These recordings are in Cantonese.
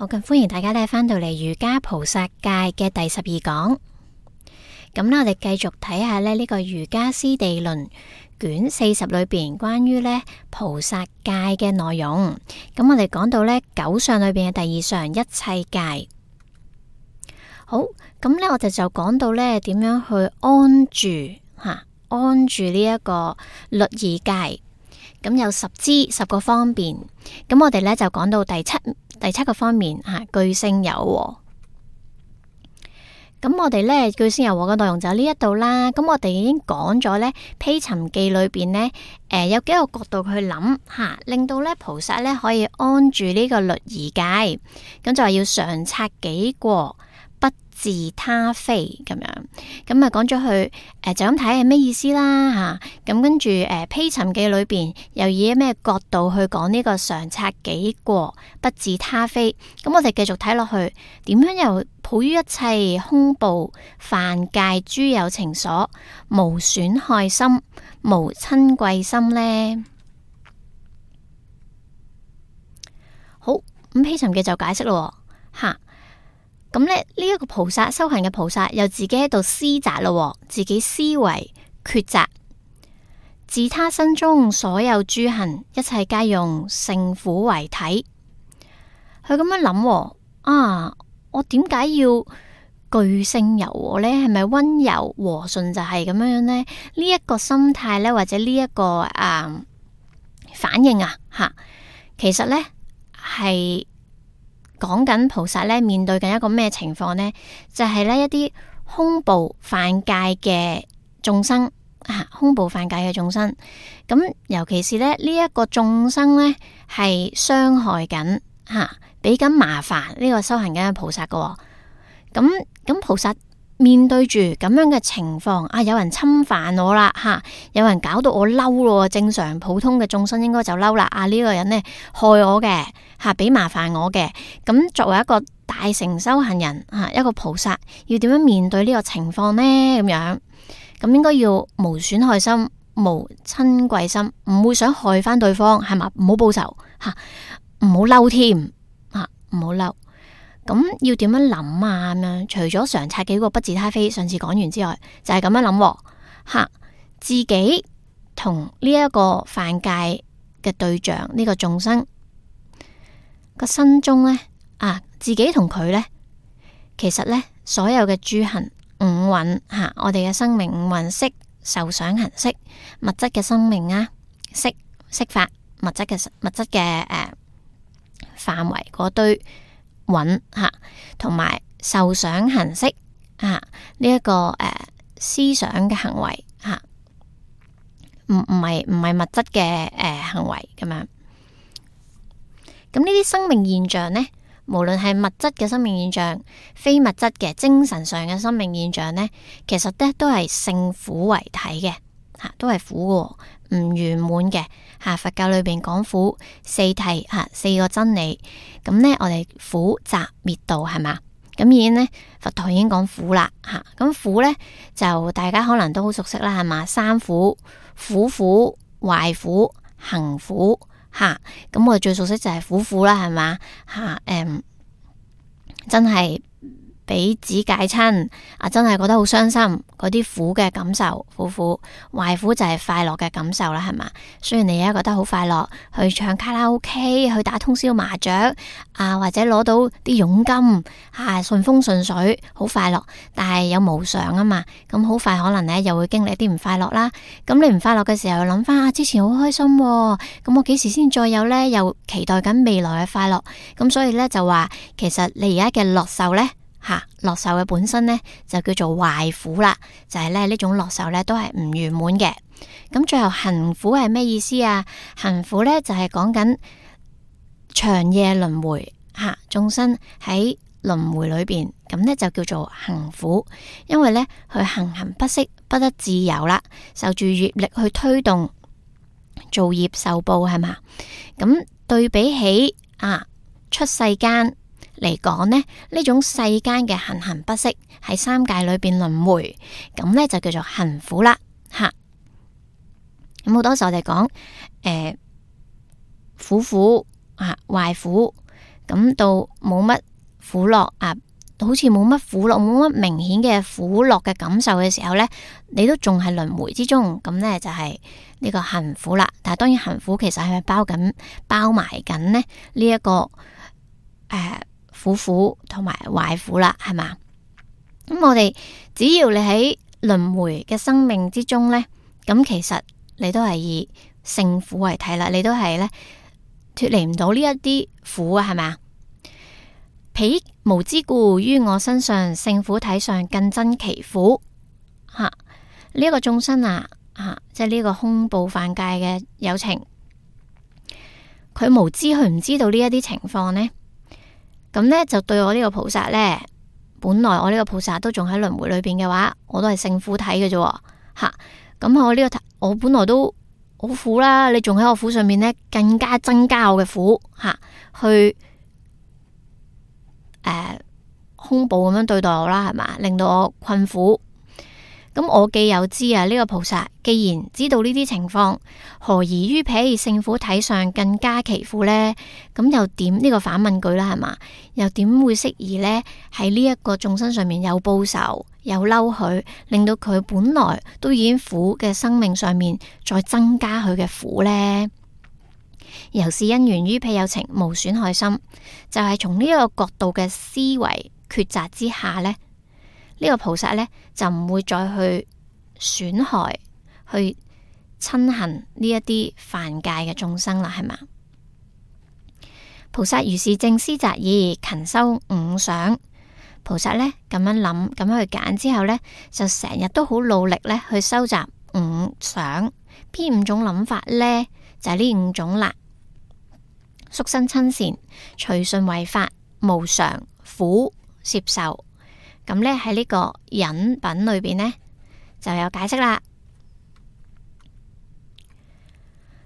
好，咁歡迎大家咧翻到嚟瑜伽菩薩戒嘅第12講。咁咧，我哋繼續睇下咧呢個瑜伽師地論卷40裏邊關於咧菩薩戒嘅內容。咁我哋講到咧9相裏邊嘅第2相一切戒。好，咁咧我哋就講到咧點樣去安住呢一個律儀戒。咁有10個方面。咁我哋咧就講到第七個方面具聲柔和。咁我哋咧具聲柔和嘅內容就呢一度啦。咁我哋已經講咗咧披尋記裏邊呢，有幾個角度去諗令到咧菩薩咧可以安住呢個律儀戒。咁就係要常察己過，不自他非咁樣。咁啊講咗佢就咁睇係咩意思啦咁跟住披尋記裏邊又以咩角度去講呢個常察己過，不自他非。咁我哋繼續睇落去，點樣又抱於一切空怖犯戒諸有情所，無損害心，無親貴心呢？好，咁披尋記就解釋咯咁咧呢一個菩薩修行嘅菩薩又自己喺度思擇咯，自己思維抉擇，自他身中所有諸行，一切皆用勝苦為體。佢咁樣諗我點解要具聲柔和呢？係咪溫柔和順就係咁樣呢？呢一個心態呢，或者呢一個反應其實呢係講緊菩薩咧面對緊一個咩情況呢？就係咧一啲空怖犯戒嘅眾生空怖犯戒嘅眾生。咁尤其是咧呢一個眾生咧係傷害緊俾緊麻煩呢個修行緊嘅菩薩噶。咁菩薩面對住咁樣嘅情況有人侵犯我啦有人搞到我嬲咯。正常普通嘅眾生應該就嬲啦。呢個人呢害我嘅俾麻煩我嘅。咁作為一個大乘修行人一個菩薩要點樣面對呢個情況呢？咁樣咁應該要無損害心，無親貴心，唔會想害翻對方係嘛？唔好報仇唔好嬲添唔好嬲。咁要點樣諗咁樣？除咗常察己過不自他非上次講完之外，就係咁樣諗自己同呢一個犯戒嘅對象呢個眾生個身中呢自己同佢呢，其實呢所有嘅諸行五蘊我哋嘅生命五蘊色受想行識，物質嘅生命色法物質嘅範圍嗰堆蘊同埋受想行識呢一個思想嘅行為唔係物質嘅行為咁樣。咁呢啲生命現象呢，無論係物質嘅生命現象，非物質嘅精神上嘅生命現象呢，其實呢都係勝苦為體嘅都係苦嘅，唔圓滿嘅佛教裏邊講苦四諦4個真理。咁呢，我哋苦集滅道係嘛？咁已經呢，佛陀已經講苦啦咁苦呢，就大家可能都好熟悉啦係嘛？三苦：苦苦、壞苦、行苦咁我哋最熟悉就係苦啦係嘛真係俾子戒親真係覺得好傷心，嗰啲苦嘅感受苦。壞苦就係快樂嘅感受啦係嘛？雖然你而家覺得好快樂，去唱卡拉 OK， 去打通宵麻雀或者攞到啲佣金順風順水，好快樂，但係有無常啊嘛。咁好快可能呢又會經歷一啲唔快樂啦。咁你唔快樂嘅時候諗翻之前好開心咁我幾時先再有呢？又期待緊未來嘅快樂。咁所以呢，就話其實你而家嘅樂受呢，樂受嘅本身呢，就叫做壞苦啦，就係呢種樂受呢，都係唔圓滿嘅。咁最後行苦係咩意思啊？行苦呢，就係講緊長夜輪迴眾生喺輪迴裏邊，咁呢就叫做行苦。因為呢，佢行不息，不得自由啦，受住業力去推動，造業受報係嘛？咁對比起出世間嚟講呢種世間嘅行不息喺三界裏邊輪迴，咁呢就叫做行苦啦咁好多時候我哋講苦壞苦，咁到冇乜苦樂啊，好似冇乜苦樂，冇乜明顯嘅苦樂嘅感受嘅時候呢，你都仲係輪迴之中，咁呢，就係呢個行苦啦。但係當然行苦其實係咪包埋緊呢一個苦同埋壞苦啦，係嘛？咁我哋只要你喺輪迴嘅生命之中呢，咁其實你都係以勝苦為體啦，你都係呢脫離唔到呢一啲苦啊，係咪啊？彼無之故於我身上，勝苦體上更增其苦。呢一個眾生即係呢個空報犯戒嘅有情，佢無知，佢唔知道呢一啲情況呢，咁呢，就對我呢個菩薩呢，本來我呢個菩薩都仲喺輪迴裏邊嘅話，我都係勝苦體嘅啫。咁我本來都好苦啦，你仲喺我苦上面呢，更加增加我嘅苦去空報咁樣對待我啦，係嘛，令到我困苦。咁我既有知呢個菩薩既然知道呢啲情況，何宜於彼勝苦體上更加其苦呢？咁又點呢個反問句啦，係嘛？又點會適宜呢？喺呢一個眾生上面有報仇有嬲佢，令到佢本來都已經苦嘅生命上面再增加佢嘅苦呢？由是因緣於彼有情無損害心，就係從呢一個角度嘅思維抉擇之下呢，呢個菩薩呢，就唔會再去損害、去親恨呢一啲犯戒嘅眾生啦，係嘛？菩薩如是正思擇義，勤修五想。菩薩呢咁樣諗，咁樣去揀之後呢，就成日都好努力呢去收集五想。邊五種諗法呢？就係呢五種啦。宿生親善、隨順違法、無常、苦、攝受。咁呢喺呢個忍品裏邊呢，就有解釋啦。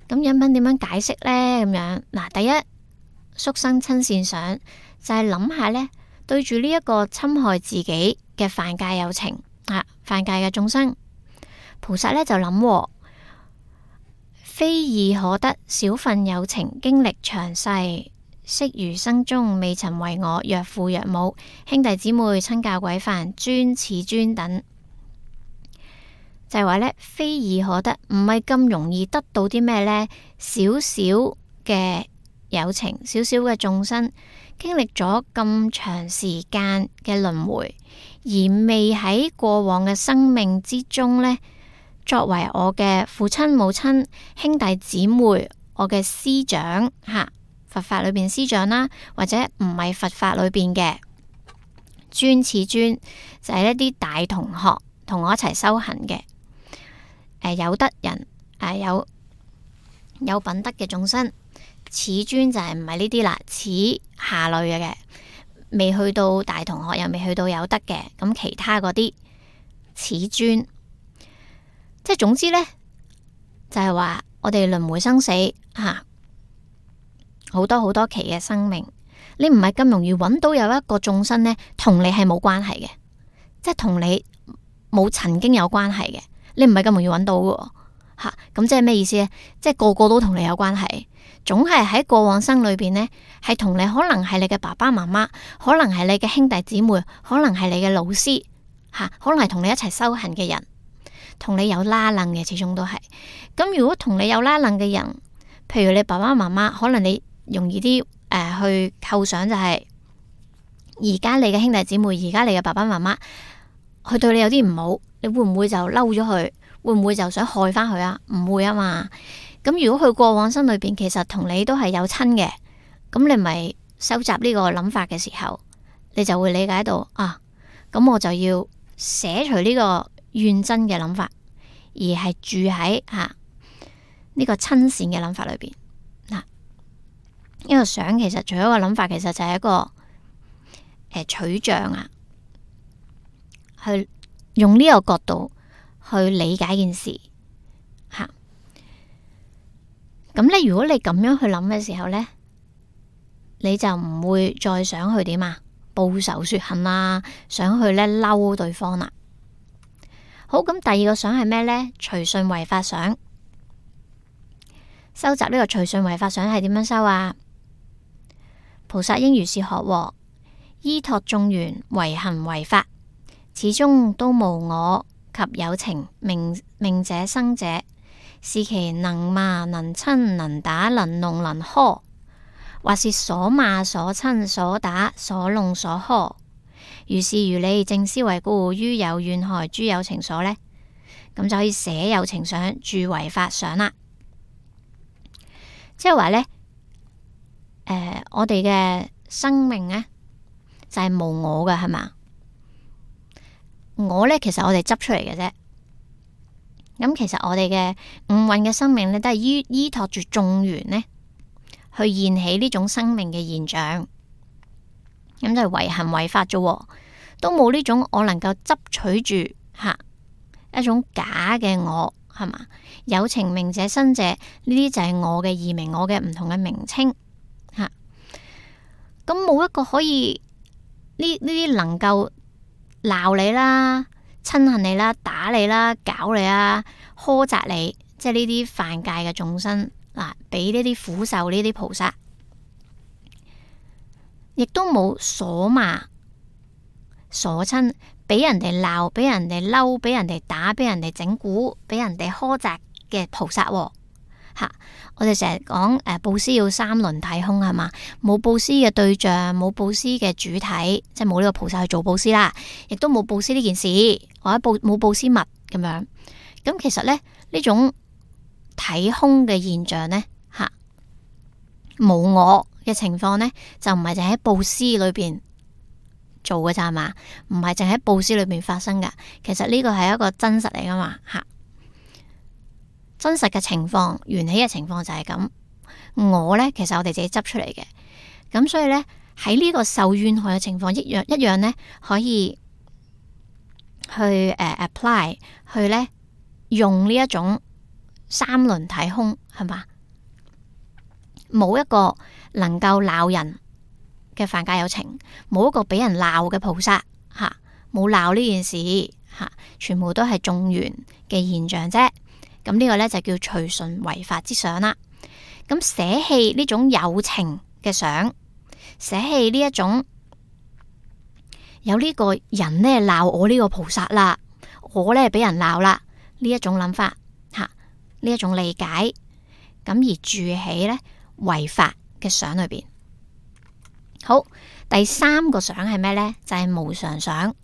咁忍品點樣解釋呢？咁樣嗱，第一，宿生親善想就係諗下呢，對住呢一個侵害自己嘅犯戒有情犯戒嘅眾生，菩薩呢就諗，非易可得少分有情經歷長世，昔餘生中未曾為我若父若母、兄弟姊妹、親教軌範、尊此尊等，就係話呢，非易可得，唔係咁容易得到啲咩呢？少少嘅有情，少少嘅眾生經歷咗咁長時間嘅輪迴，而未喺過往嘅生命之中呢，作為我嘅父親母親兄弟姊妹，我嘅師長佛法裏邊師長啦，或者唔係佛法裏邊嘅尊此尊，就係一啲大同學同我一齊修行嘅有德人有品德嘅眾生。此尊就係唔係呢啲啦，此下類嘅未去到大同學又未去到有德嘅，咁其他嗰啲此尊，即係總之呢，就係話我哋輪迴生死好多好多期嘅生命，你唔係咁容易揾到有一個眾生呢，同你係冇關係嘅，即係同你冇曾經有關係嘅，你唔係咁容易揾到嘅咁即係咩意思呢？即係個個都同你有關係，總係喺過往生裏邊呢，係同你可能係你嘅爸爸媽媽，可能係你嘅兄弟姊妹，可能係你嘅老師可能係同你一齊修行嘅人，同你有拉楞嘅，始終都係。咁如果同你有拉楞嘅人，譬如你爸爸媽媽，可能你容易啲去構想就係而家你嘅兄弟姊妹，而家你嘅爸爸媽媽，佢對你有啲唔好，你會唔會就嬲咗佢？會唔會就想害翻佢啊？唔會啊嘛。咁如果佢過往生裏邊其實同你都係有親嘅，咁你咪收集呢個諗法嘅時候，你就會理解到咁我就要捨除呢個怨憎嘅諗法，而係住喺呢個親善嘅諗法裏邊。呢個想其實除咗個諗法，其實就係一個取像去用呢個角度去理解件事咁呢，如果你咁樣去諗嘅時候呢，你就唔會再想去點報仇雪恨想去呢嬲對方啦。好，咁第二個想係咩呢？隨順違法想。收集呢個隨順違法想係點樣收啊？菩薩應如是學，依託眾緣，為行為法，始終都無我及有情命者生者，是其能罵能親能打能弄能呵，或是所罵所親所打所弄所呵。如是如理正思維故，於有怨害諸有情所呢，咁就可以捨有情想，住唯法想啦。即係話呢，我哋嘅生命呢，就係無我嘅，係嘛？我呢，其實我哋執出嚟嘅啫。咁其實我哋嘅五蘊嘅生命呢，都係依託住眾緣呢，去現起呢種生命嘅現象。咁就係為行為法啫，都冇呢種我能夠執取住一種假嘅我，係嘛？有情命者生者，呢啲就係我嘅異名，我嘅唔同嘅名稱吓。咁冇一個可以呢啲能夠鬧你啦、親恨你啦、打你啦、搞你啦、苛責你，即係呢啲犯戒嘅眾生嗱，俾呢啲苦受呢啲菩薩，亦都冇所罵、所親，俾人哋鬧、俾人哋嬲、俾人哋打、俾人哋整蠱、俾人哋苛責嘅菩薩吓。我哋成日講布施要三輪體空，係嘛？冇布施嘅對象，冇布施嘅主體，即係冇呢個菩薩去做布施啦，亦都冇布施呢件事，或者冇布施物咁樣。咁其實咧，呢種體空嘅現象呢，冇我嘅情況呢，就唔係淨喺布施裏邊做嘅咋嘛？唔係淨喺布施裏邊發生噶。其實呢個係一個真實嚟噶嘛真實嘅情況，緣起嘅情況就係咁。我呢，其實我哋自己執出嚟嘅。咁所以呢，喺呢個受怨害嘅情況一樣呢，可以去apply 去呢，用呢一種三輪體空，係嘛？冇一個能夠鬧人嘅犯戒有情，冇一個俾人鬧嘅菩薩冇鬧呢件事全部都係眾緣嘅現象啫。咁呢個呢，就叫隨順唯法之想啦。咁捨棄呢種有情嘅想，捨棄呢一種有呢個人呢鬧我呢個菩薩啦，我呢俾人鬧啦，呢一種諗法呢一種理解，咁而住起呢唯法嘅想裏邊。好，第三個想係咩呢？就係無常想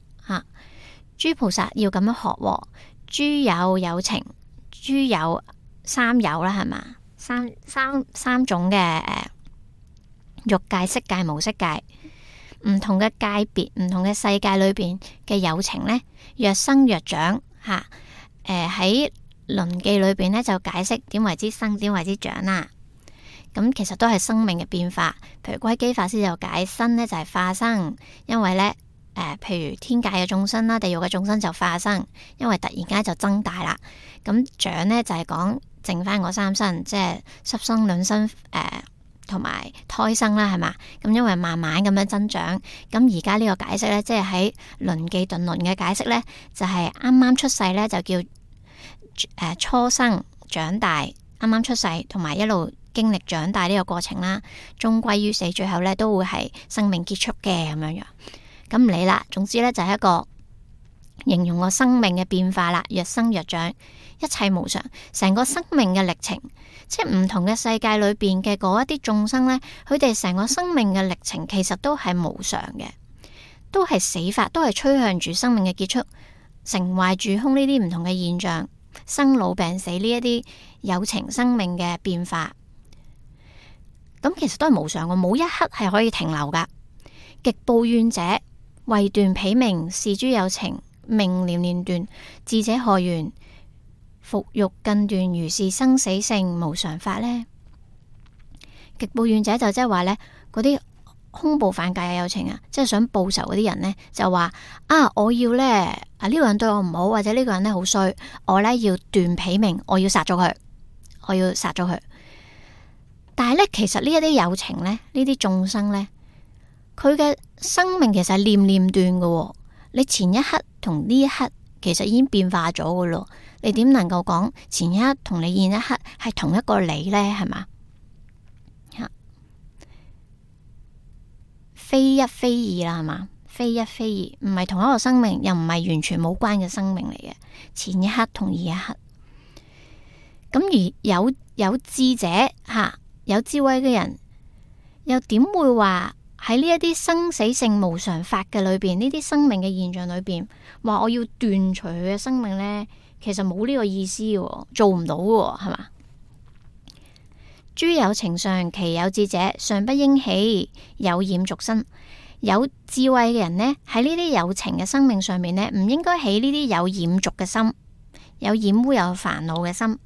諸菩薩要咁樣學，諸有情。諸有三有啦，係嘛？三種嘅欲界、色界、無色界，唔同嘅界別、唔同嘅世界裏邊嘅有情呢，若生若長喺輪記裏邊呢，就解釋點為之生，點為之長啦。咁其實都係生命嘅變化。譬如歸基法師就解生呢，就係化生，因為呢。譬如天界嘅眾生啦，地獄嘅眾生就化生，因為突然間就增大啦。咁長呢，就係講剩翻嗰三生，即係濕生、卵生同埋胎生啦，係嘛？咁因為慢慢咁樣增長。咁而家呢個解釋呢，即係喺輪記頓輪嘅解釋呢，就係啱啱出世呢，就叫初生長大，啱啱出世同埋一路經歷長大呢個過程啦，終歸於死，最後呢都會係生命結束嘅咁樣樣。咁唔理啦，總之呢，就係一個形容個生命嘅變化啦，若生若長，一切無常，成個生命嘅歷程，即係唔同嘅世界裏邊嘅嗰一啲眾生呢，佢哋成個生命嘅歷程其實都係無常嘅，都係死法，都係趨向住生命嘅結束，成壞住空呢啲唔同嘅現象，生老病死呢一啲有情生命嘅變化，咁其實都係無常嘅，冇一刻係可以停留噶。極怖怨者為斷彼命，是諸有情命念念斷，智者何緣？復欲更斷，如是生死性無常法呢？極怖怨者就即係話呢嗰啲恐怖犯戒嘅有情即係想報仇嗰啲人呢，就話我要呢呢個人對我唔好，或者呢個人呢好衰，我呢要斷彼命，我要殺咗佢，我要殺咗佢。但係呢，其實呢一啲有情呢，呢啲眾生呢，佢嘅生命其實係念念斷嘅。你前一刻同呢一刻其實已經變化咗嘅咯。你點能夠講前一刻同你現一刻係同一個你呢？係嘛？非一非二啦，係嘛？非一非二，唔係同一個生命，又唔係完全冇關嘅生命嚟嘅。前一刻同二一刻，咁而有智者吓，有智慧嘅人，又點會話喺呢一啲生死性無常法嘅裏邊，呢啲生命嘅現象裏邊，話我要斷除佢嘅生命呢？其實冇呢個意思嘅，做唔到嘅，係嘛？諸有情相，其有智者，尚不應起有染俗身。有智慧嘅人呢，喺呢啲有情嘅生命上面呢，唔應該起呢啲有染俗嘅心，有染污有煩惱嘅心。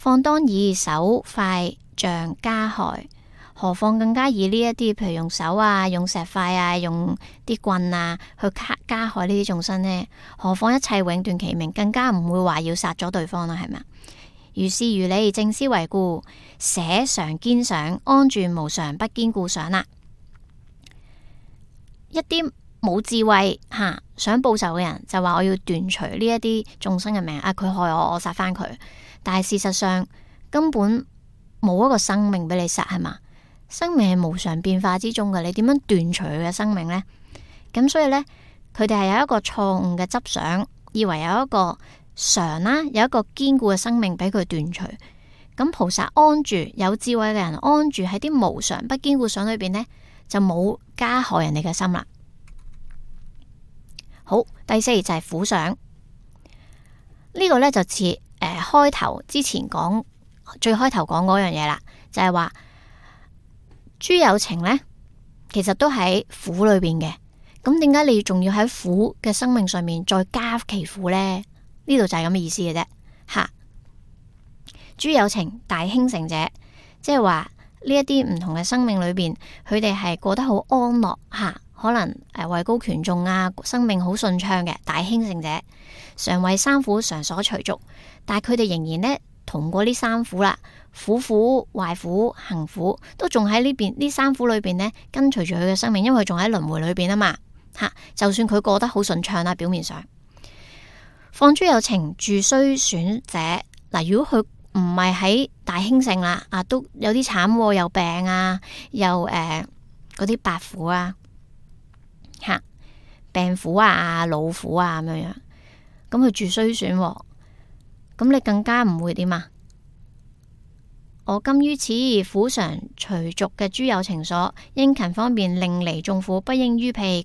況當以手塊杖加害，何況更加以呢一啲，譬如用手啊、用石塊啊、用啲棍啊去加害呢啲眾生呢？何況一切永斷其命，更加唔會話要殺咗對方啦，係咪啊？如是如理，正思維故，捨常堅想，安住無常，不堅固想啦。一啲冇智慧想報仇嘅人就話我要斷除呢一啲眾生嘅命啊！佢害我，我殺翻佢。但係事實上根本冇一個生命俾你殺，係嘛？生命係無常變化之中嘅，你點樣斷除佢嘅生命呢？咁所以呢，佢哋係有一個錯誤嘅執想，以為有一個常啦，有一個堅固嘅生命俾佢斷除。咁菩薩安住，有智慧嘅人安住喺啲無常不堅固想裏邊呢，就冇加害人哋嘅心啦。好，第四就係苦想，呢個呢就似開頭之前講最開頭講嗰樣嘢啦，就係話諸有情呢，其實都喺苦裏邊嘅。咁點解你仲要喺苦嘅生命上面再加其苦呢？呢度就係咁嘅意思嘅啫。吓，諸有情大興盛者，即係話呢一啲唔同嘅生命裏邊，佢哋係過得好安樂吓，可能位高權重啊，生命好順暢嘅大興盛者，常為三苦常所隨逐，但係佢哋仍然呢，同過呢三苦啦，苦、壞苦、行苦，都仲喺呢三苦裏邊呢，跟隨住佢嘅生命，因為佢仲喺輪迴裏邊啊嘛吓。就算佢過得好順暢啦，表面上，況諸有情住衰損者，嗱，如果佢唔係喺大興盛啦，都有啲慘，又病啊，又嗰啲百苦啊，吓，病苦啊、老苦啊咁樣，咁佢住衰損，咁你更加唔會點啊？我今於此苦常隨逐嘅諸有情所，應勤方便令離眾苦，不應於彼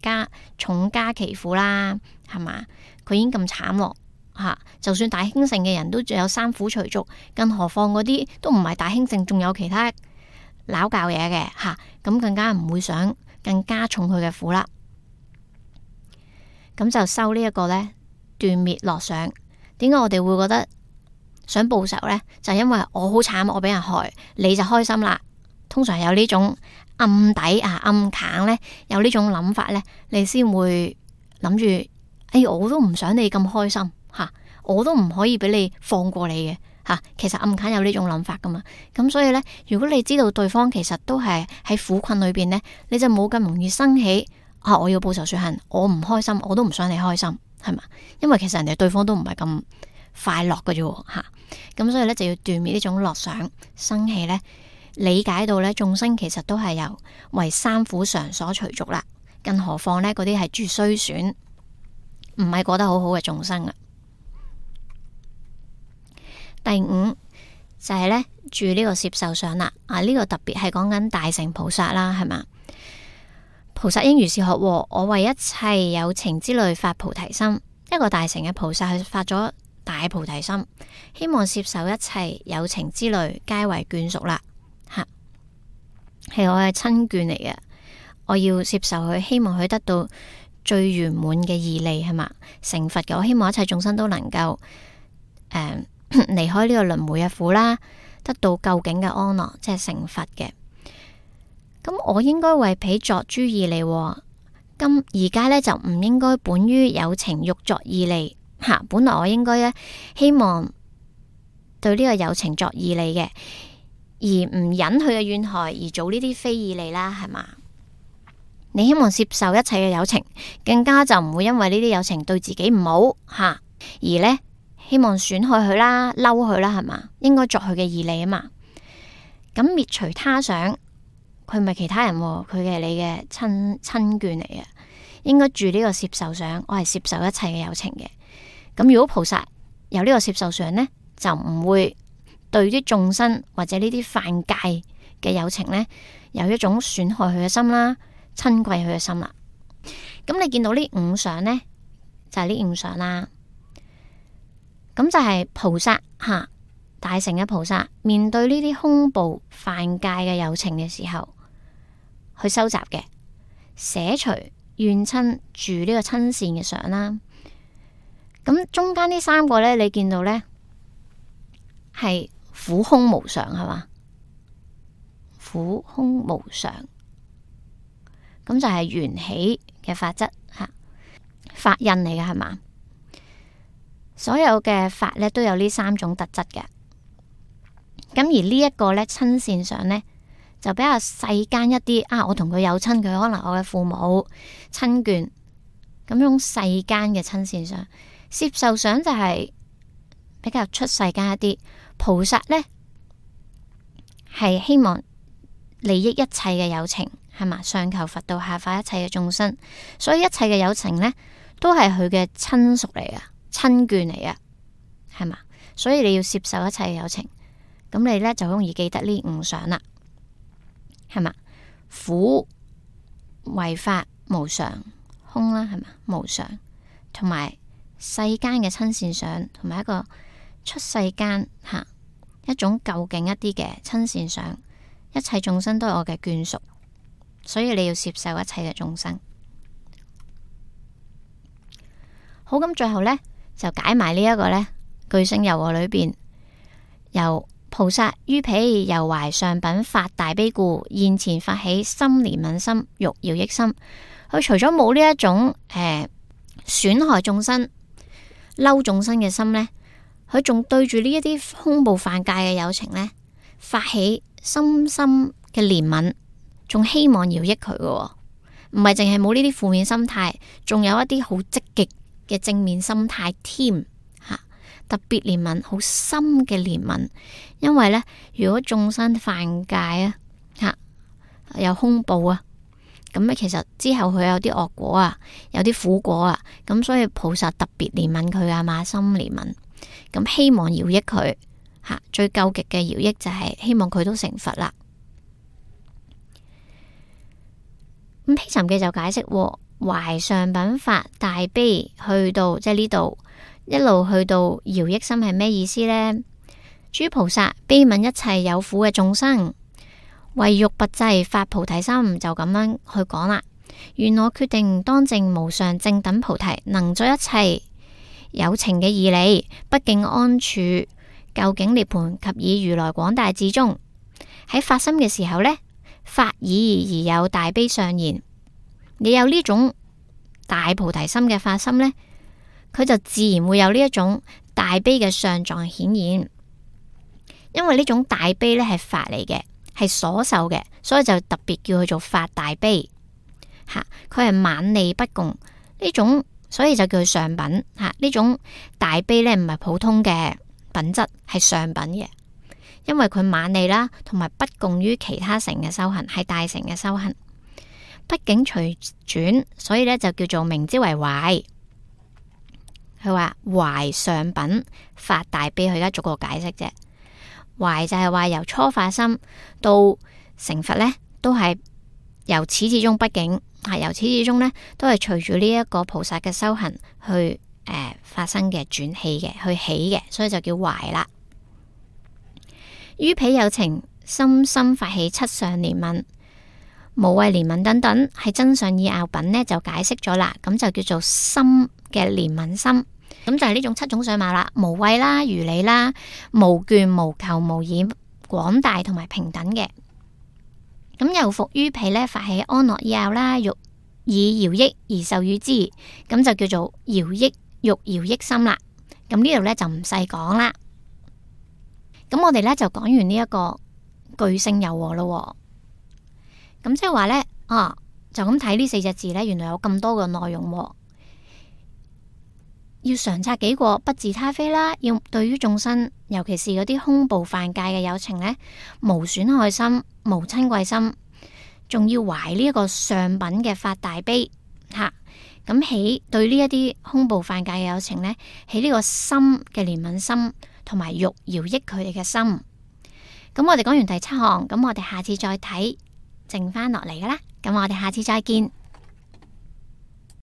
重加其苦啦，係嘛？佢已經咁慘咯，就算大興盛嘅人都仲有三苦隨逐，更何況嗰啲都唔係大興盛，仲有其他拗教嘢嘅咁更加唔會想更加重佢嘅苦啦。咁就收呢一個呢，斷滅樂想。點解我哋會覺得想報仇呢？就因為我好慘，我俾人害，你就開心啦。通常有呢種暗底暗砍呢，有呢種諗法呢，你先會諗住，我都唔想你咁開心我都唔可以俾你放過你嘅其實暗砍有呢種諗法噶嘛。咁所以呢，如果你知道對方其實都係喺苦困裏邊呢，你就冇咁容易生起我要報仇雪恨，我唔開心，我都唔想你開心，係嘛？因為其實人哋對方都唔係咁快樂嘅啫咁所以呢，就要斷滅呢種樂想生起呢，理解到呢，眾生其實都係由為三苦常所隨逐啦，更何況呢，嗰啲係住衰損，唔係過得好好嘅眾生啊。第五就係呢，住呢個攝受想啦，呢個特別係講緊大乘菩薩啦，係嘛？菩薩應如是學，我為一切有情之類發菩提心。一個大乘嘅菩薩，佢發咗大菩提心，希望攝受一切有情之類，皆為眷屬啦。係我嘅親眷嚟嘅，我要攝受佢，希望佢得到最圓滿嘅義利，係嘛？成佛嘅，我希望一切眾生都能夠離開呢個輪迴嘅苦啦，得到究竟嘅安樂，即係成佛嘅。咁我應該為彼作諸義利，咁而家呢，就唔應該本於有情欲作義利本來我應該呢，希望對呢個有情作義利嘅，而唔忍佢嘅怨害而做呢啲非義利啦，係嘛？你希望攝受一切嘅有情，更加就唔會因為呢啲有情對自己唔好而呢，希望損害佢啦、嬲佢啦，係嘛？應該作佢嘅義利啊嘛。咁滅除他想，佢唔係其他人，佢係你嘅親眷嚟嘅，應該住呢個攝受想，我係攝受一切嘅有情嘅。咁如果菩薩有呢個攝受想呢，就唔會對啲眾生或者呢啲犯戒嘅有情呢，有一種損害佢嘅心啦，親貴佢嘅心啦。咁你見到呢五相呢，就係呢五相啦。咁就係菩薩吓，大乘嘅菩薩面對呢啲兇暴犯戒嘅有情嘅時候，去收集嘅，捨除怨親住呢個親善嘅相啦。咁中間呢三個呢，你見到呢係苦空無常係嘛？苦空無常，咁就係緣起嘅法則吓，法印嚟嘅係嘛？所有嘅法呢都有呢三種特質嘅。咁而呢一個呢親善相呢，就比較世間一啲啊。我同佢有親，佢可能我嘅父母親眷，咁種世間嘅親善相。攝受想就係比較出世間一啲。菩薩呢係希望利益一切嘅有情，係嘛？上求佛道，下化一切嘅眾生，所以一切嘅有情呢都係佢嘅親屬嚟噶，親眷嚟噶，係嘛？所以你要攝受一切嘅有情，咁你呢就容易記得呢五相啦，係嘛？苦為法無常，空啦，係嘛？無常，同埋世間嘅親善相，同埋一個出世間吓一種究竟一啲嘅親善相，一切眾生都係我嘅眷屬，所以你要攝受一切嘅眾生。好，咁最後呢，就解埋呢一個呢具性柔和裏邊，由菩薩於彼猶懷上品發大悲故，現前發起心憐憫心，欲饒益心。佢除咗冇呢一種損害眾生、嬲眾生嘅心呢，佢仲對住呢一啲兇暴犯戒嘅有情呢，發起深深嘅憐憫，仲希望饒益佢嘅，唔係淨係冇呢啲負面心態，仲有一啲好積極嘅正面心態添吓，特別憐憫，好深嘅憐憫。因為呢，如果眾生犯戒啊吓，有兇暴啊，咁其實之後佢有啲惡果啊，有啲苦果啊，咁所以菩薩特別憐憫佢啊，馬心憐憫，咁希望饒益佢吓，最究極嘅饒益就係希望佢都成佛啦。咁毗尋記就解釋，懷上品發大悲，去到即係呢度一路去到饒益心係咩意思呢？諸菩薩悲憫一切有苦嘅眾生，為欲拔濟發菩提心，就咁樣去講啦。願我決定當證無上正等菩提，能作一切有情嘅義利，不境安處，究竟涅槃及以如來廣大智中。喺發心嘅時候呢，發意而有大悲相現。你有呢種大菩提心嘅發心呢，佢就自然會有呢一種大悲嘅相狀顯現。因為呢種大悲呢係法嚟嘅，係所受嘅，所以就特別叫佢做發大悲吓。佢係猛利不共呢種，所以就叫佢上品吓。呢種大悲呢唔係普通嘅品質，係上品嘅。因為佢猛利啦，同埋不共於其他乘嘅修行，係大乘嘅修行。畢竟隨轉，所以呢就叫做名之為懷。佢話懷上品發大悲，佢而家逐個解釋啫。懷就係話由初發心到成佛呢，都係由始至終。畢竟係由始至終呢，都係隨住呢一個菩薩嘅修行去發生嘅轉起嘅，去起嘅，所以就叫懷啦。於彼有情深深發起七相憐憫、無畏憐憫等等，係真相義拗品呢就解釋咗啦。咁就叫做深嘅憐憫心。咁就係呢種七種相貌啦，無畏啦、如理啦、無倦、無求、無染、廣大同埋平等嘅。咁又復於彼呢，發起安樂義拗啦，欲以饒益而受與之，咁就叫做饒益欲饒益心啦。咁呢度呢，就唔細講啦。咁我哋呢，就講完呢一個具性柔和咯。咁即係話呢，就咁睇呢四隻字呢，原來有咁多嘅內容。要常察己過，不自他非啦。要對於眾生，尤其是嗰啲兇暴犯戒嘅有情呢，無損害心，無親貴心，仲要懷呢一個上品嘅發大悲吓，咁起對呢一啲凶暴犯戒嘅有情呢，起呢個心嘅憐憫心，同埋欲饒益佢哋嘅心。咁我哋講完第7項，咁我哋下次再睇，剩翻落嚟噶啦。咁我哋下次再見。